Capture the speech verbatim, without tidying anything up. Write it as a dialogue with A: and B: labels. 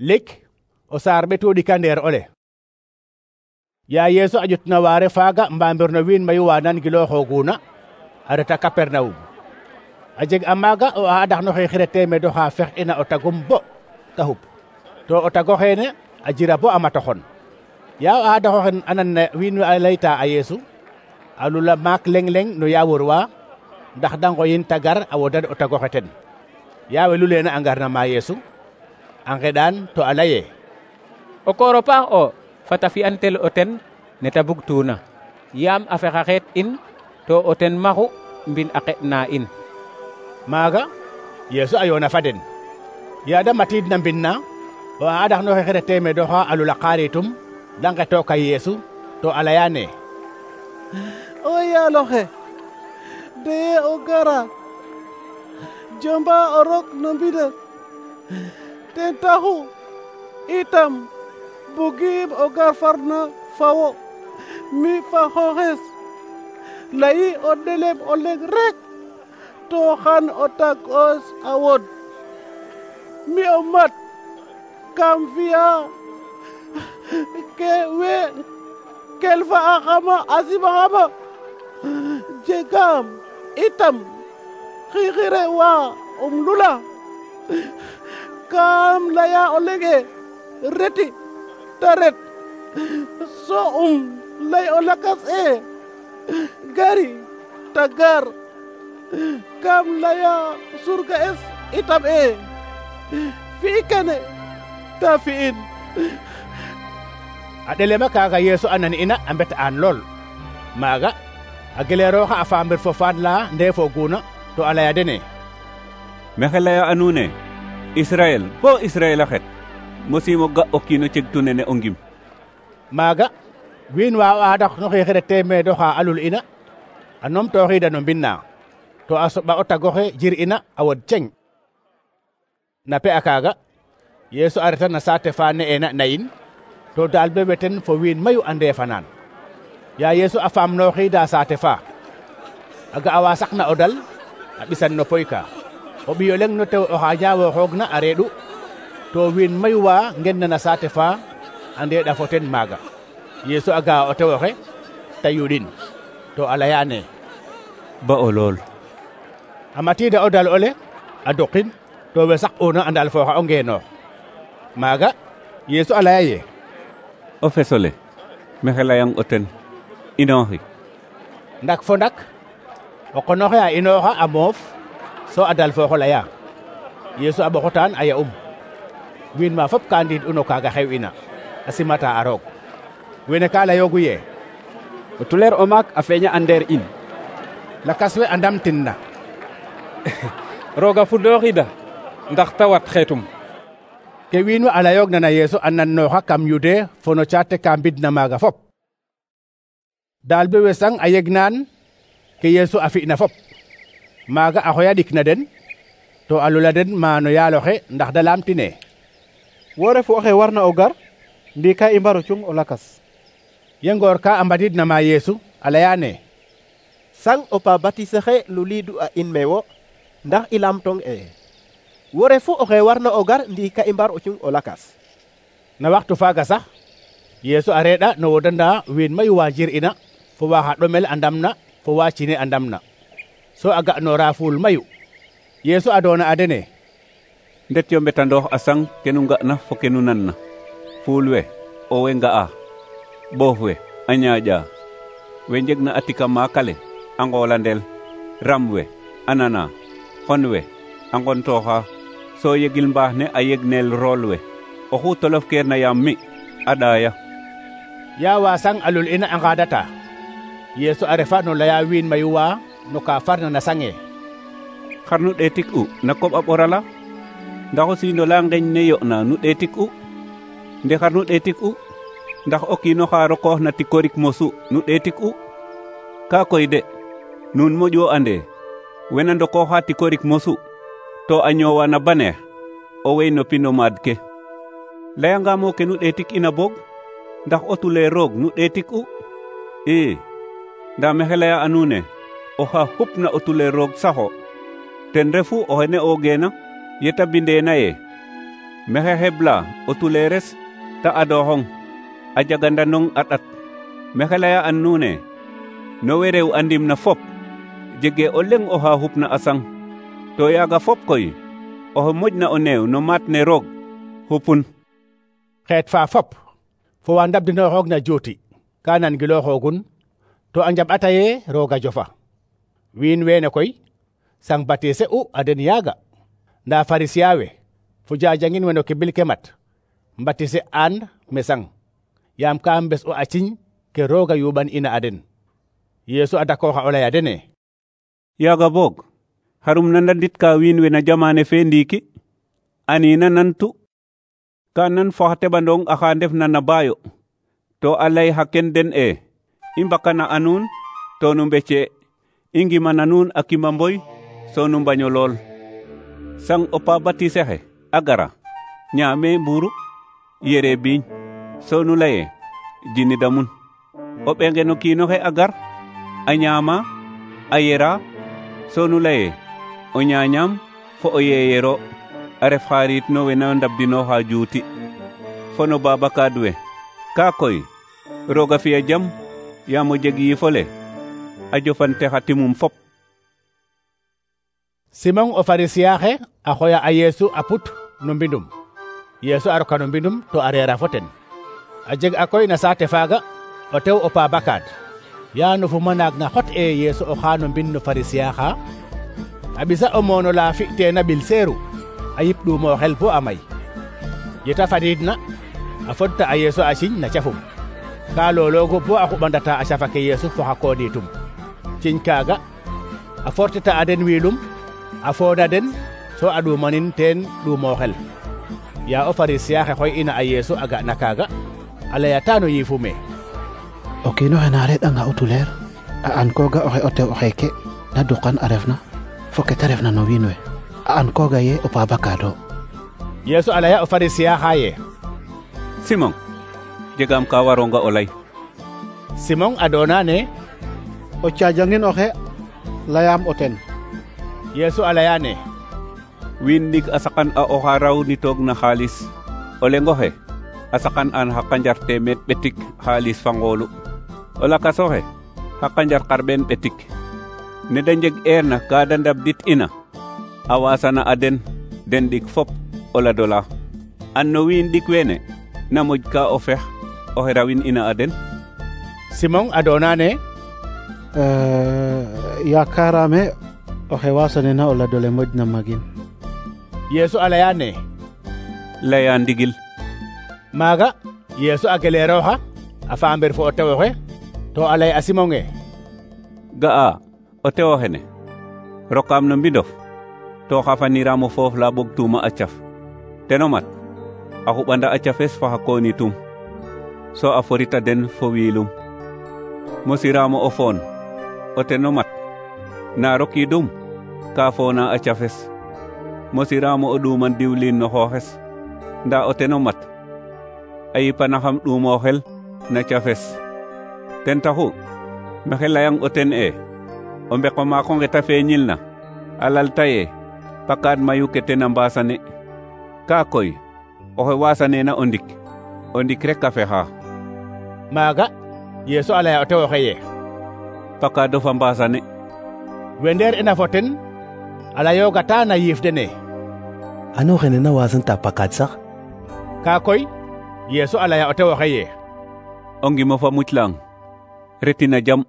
A: lik o saar ɓetu ɗika ndeer ole. Ya Yeesu a ƴutna waare faaga mbamir no wiin mayu wa nan gilooxooguna a reta Kapernawum. a jeg a maaga o aadax no xeexire teemeed oxa fex ina o tagum bo ta xup to o tago xeene a jira bo a matoxon. Ya o aadaxoxe a nan na wiin we a layta a Yeesu a lula maak leng leng no yaawor wa ndax da ngoyin ta gar a wodan o tago xe ten. Ya we luleena a ngarna ma Yeesu a ngeɗaan to a laye
B: o kooro paax o fata fi'an tel o ten ne ta bugtuna yaam a fexa xeet in to o ten maxu mbin a qeɗ na in.
A: Maaga Yeesu a yoona fa den. Ya da matiid na mbin na o aadax no xeexire teemeed oxa a lula qaaritum da nqetooka Yeesu to a layaane
C: o yaaloxe deye o gara jomba o rok no mbides ten taxu itam bugim o gar farna fawo mi fa xooxes layi o ɗelem o leŋ rek to xan o tag os a wod mi o mat kam fiya ke we kelfa a xama a sima xama jegam itam xixire wa um lula kam laya o lege reti ta ret so um lay o lakas e gari ta gar kam laya surga es itam e fi kene ta fi'in. a ɗelema kaaga Yeesu a nan ina a mbet aan lool. maaga a geleerooxa a faamir fo faad la ndeefooguna to a laya dene
D: maxey laya a nuun e Israel bo Israel a xet mosiimo ga o kiin o cegtu nene o ngim.
A: maaga wiin wa o aadax no xeexire teemeed oxa a lul ina a numtooxiida no mbin na to a soɓa o tagoxe jir ina a wod ceng. na pe a kaaga Yeesu a reta na saate fa ne'eena Nayin to daal be weten fo wiin mayu a ndeefanaan. Ya Yeesu a faamnooxiida saate fa a ga a wa saqna o dal a ɓisan no poy ka o ɓiyo leŋ no tew oxa ñaawooxoogna a reeɗu to wiin mayu wa ngenna na saate fa a ndeeɗa fo ten maaga. Yeesu a ga o tew oxe ta yuɗin to a layaane
D: ba o lool.
A: a matiida o dal ole a duqin to we saq'una a ndal fooxa o ngeenoox. maaga Yeesu a laya ye
D: o fesole maxey layang o ten inooxi.
A: ndak fo ndak o qonoxe a inooxa a moof so a dal fooxo laya. Yeesu a ɓoxotaan a ya'um wiin ma fop ka ndiid'u no kaaga xew'ina a simata a roog. wene ka layoogu ye
E: o tuleer o maak a feeña a ndeer in.
A: lakas we a ndamtin na
B: roga fudooxida ndax ta wat xeetum.
A: ke wiin we a layoogna na Yeesu a nannooxa kam Yude fo no caate ka mbidna maaga fop. daal be wesang a yegnaan ke Yeesu a fi'na fop. maaga a xoya ɗik na den to a lula den maano yaaloxe ndax da laamtine
C: wo refu oxe warna o gar ndi ka i mbaro cung o lakas.
A: ye ngoor ka a mbadidna ma Yeesu a layaane
F: sang o pa batisexe luliidu a in me wo ndax i lamtong e wo refu oxe warna o gar ndi ka i mbar o cung o lakas.
A: na waxtu faaga sax Yeesu a reeɗa no wodanda wiin mayu wa jir ina fo wa xa ɗomel a ndamna fo wa cine a ndamna so a ga'noora fuul mayu. Yeesu a doona a dene
D: ndet yo mbetandoox a sang kenu nga'na fo kenu nanna. fuul we o we nga'a boof we a ñaaƴa we njegna a tika maakale a ngoolandel ram we a nana xon we a ngontooxa so yegil mbaax ne a yegneel rool we oxu tolof keerna yaam mi a ɗaaya.
A: ya wa sang a lul ina a ngaadata Yeesu a refa no laya wiin mayu wa no ka farna na sange
D: xar nu ɗeetik u na koɓ a ɓorala ndax o siindo la ngeñ ne yo'na nu ɗeetik u nde xar nu ɗeetik u ndax o kiino xa rokoox na tikorik mosu nu ɗeetik u ka koy de nuun moƴo ande wena ndokooxa tikorik mosu to a ñoowa na baneex o wey no pino maad ke. layangamo ke nu ɗeetik ina boog ndax o tulee roog nu ɗeetik u ii nda maxey laya a nuune oxa xupna o tulee roog saxo ten refu o xene o geena yeta bindeena ye mexe hebla o tuleres ta adoxong a jagandanong a ɗat mexe leya an nuune no we rew andim na fop jege o leŋ oxa xupna a sang to yaaga fop koy oxe moƴna o neew no maat ne roog xupun.
A: xeet fa fop fo wa ndabdinooxoog na juuti ka nan gilooxoogun to a njaɓ'ata ye rooga jofa. wiin weene koy sang batise u a den yaaga nda Farisiya we fo jajangin we no kibil ke mat mbatise aan me sang yaam ka mbes o a ciñ ke rooga yuɓan ina a den. Yeesu a dakooxa o laya dene:
D: yaaga boog xarum na ndandit ka wiin we na jamane fe ndiiki anina nantu ka nan fo xa teɓandong axa ndefna na baayo to a lay xa ken den e i mbakana a nuun to nu mbece i ngimana nuun a kima mboy so nu mbaño lool. sang o pa batise xe a gara ñaame mburu yere biiñ so nu laye jini damun. o ɓenge no kiino xe a gar a ñaama a yera so nu laye o ñaañaam fo o yeeyero a ref xarit no we na ndabdinooxa juuti fo no babakaad we. kaa koy roog a fiya jam yaam o jeg yiifole a jofante xa timum fop.
A: Simon o Farisiya xe a xoya a Yeesu a put no mbindum. Yeesu a roka no mbindum to a reera fo ten. a jeg a koy na saate faaga o tew o pa bakaad ya no fuma naag na xot e Yeesu o xa no mbind no Farisiya xa a ɓisa o moono la fi'teena ɓil seeru a yip ɗuumo xel bo a may. yeta fadiidna a fodta a Yeesu a ciñ na cafum ka loloogu bo a xuɓandata a cafa ke Yeesu fo xa koodiitum. ciñ kaaga a fortita a den wiilum a fooda den so a ɗuumanin teen ɗuumo xel. ya o Farisiya xe xoy ina a Yeesu a ga na kaaga a layata no yiifume:
C: o kiino xe na reɗ'anga o tuleer a an kooga oxe o tew oxeeke na duqan a refna fo ke ta refna no wiin we a an kooga ye o pa bakaado.
A: Yeesu a laya o Farisiya xa ye:
D: Simon, jegaam ka waronga o lay.
A: Simon a doona ne:
C: o caajangin oxe layaam o ten.
A: Yeesu a laya ne:
D: wiin ndik a saqan a oxa raw ni toog na xaalis o lengoxe a saqan an xa qanjar teemeed ɓetik xaalis fa ngoolu o lakasoxe xa qanjar xarɓeen ɓetik. ne da njeg eerna ka da ndabdit ina a wasana a den den ɗik fop o ladola. an no wiin ɗik weene na moƴ ka o fex oxe rawin ina a den.
A: Simon a doona ne:
C: yaakaaraame oxe wasanena o ladole moƴna magin.
A: Yeesu a laya ne:
D: laya ndigil.
A: maaga Yeesu a geleerooxa a faamber fo o tew oxe to a lay a Simon e:
D: ga'a o tew oxene rokaam no mbindof to xafaniraam o foof la ɓogtuuma a caf teno mat a xuɓanda a cafes fo xa koonitum so a forita den fo wiilum. mosiraam o foon o teno mat na rokiidum ka foona a cafes. mosiraam o ɗuuman diwliin no xooxes nda o teno mat a yipanaxam ɗuumo xel na cafes. ten taxu mexe layang o ten e o mbeko maako nge ta feeñilna a lalta ye pakaad mayu ke ten a mbaasane. kaa koy oxe waasaneena o ndik o ndik rek a fexa.
A: maaga Yeesu a laya o tew oxe ye:
D: pakaadof a mbaasane.
A: we ndeer ina fo ten a layoogata na yiif dene:
F: ano xene na wasanta pakaad sax?
A: kaa koy Yeesu a laya o tew oxe ye:
D: o ngimo fa muclang retina jam.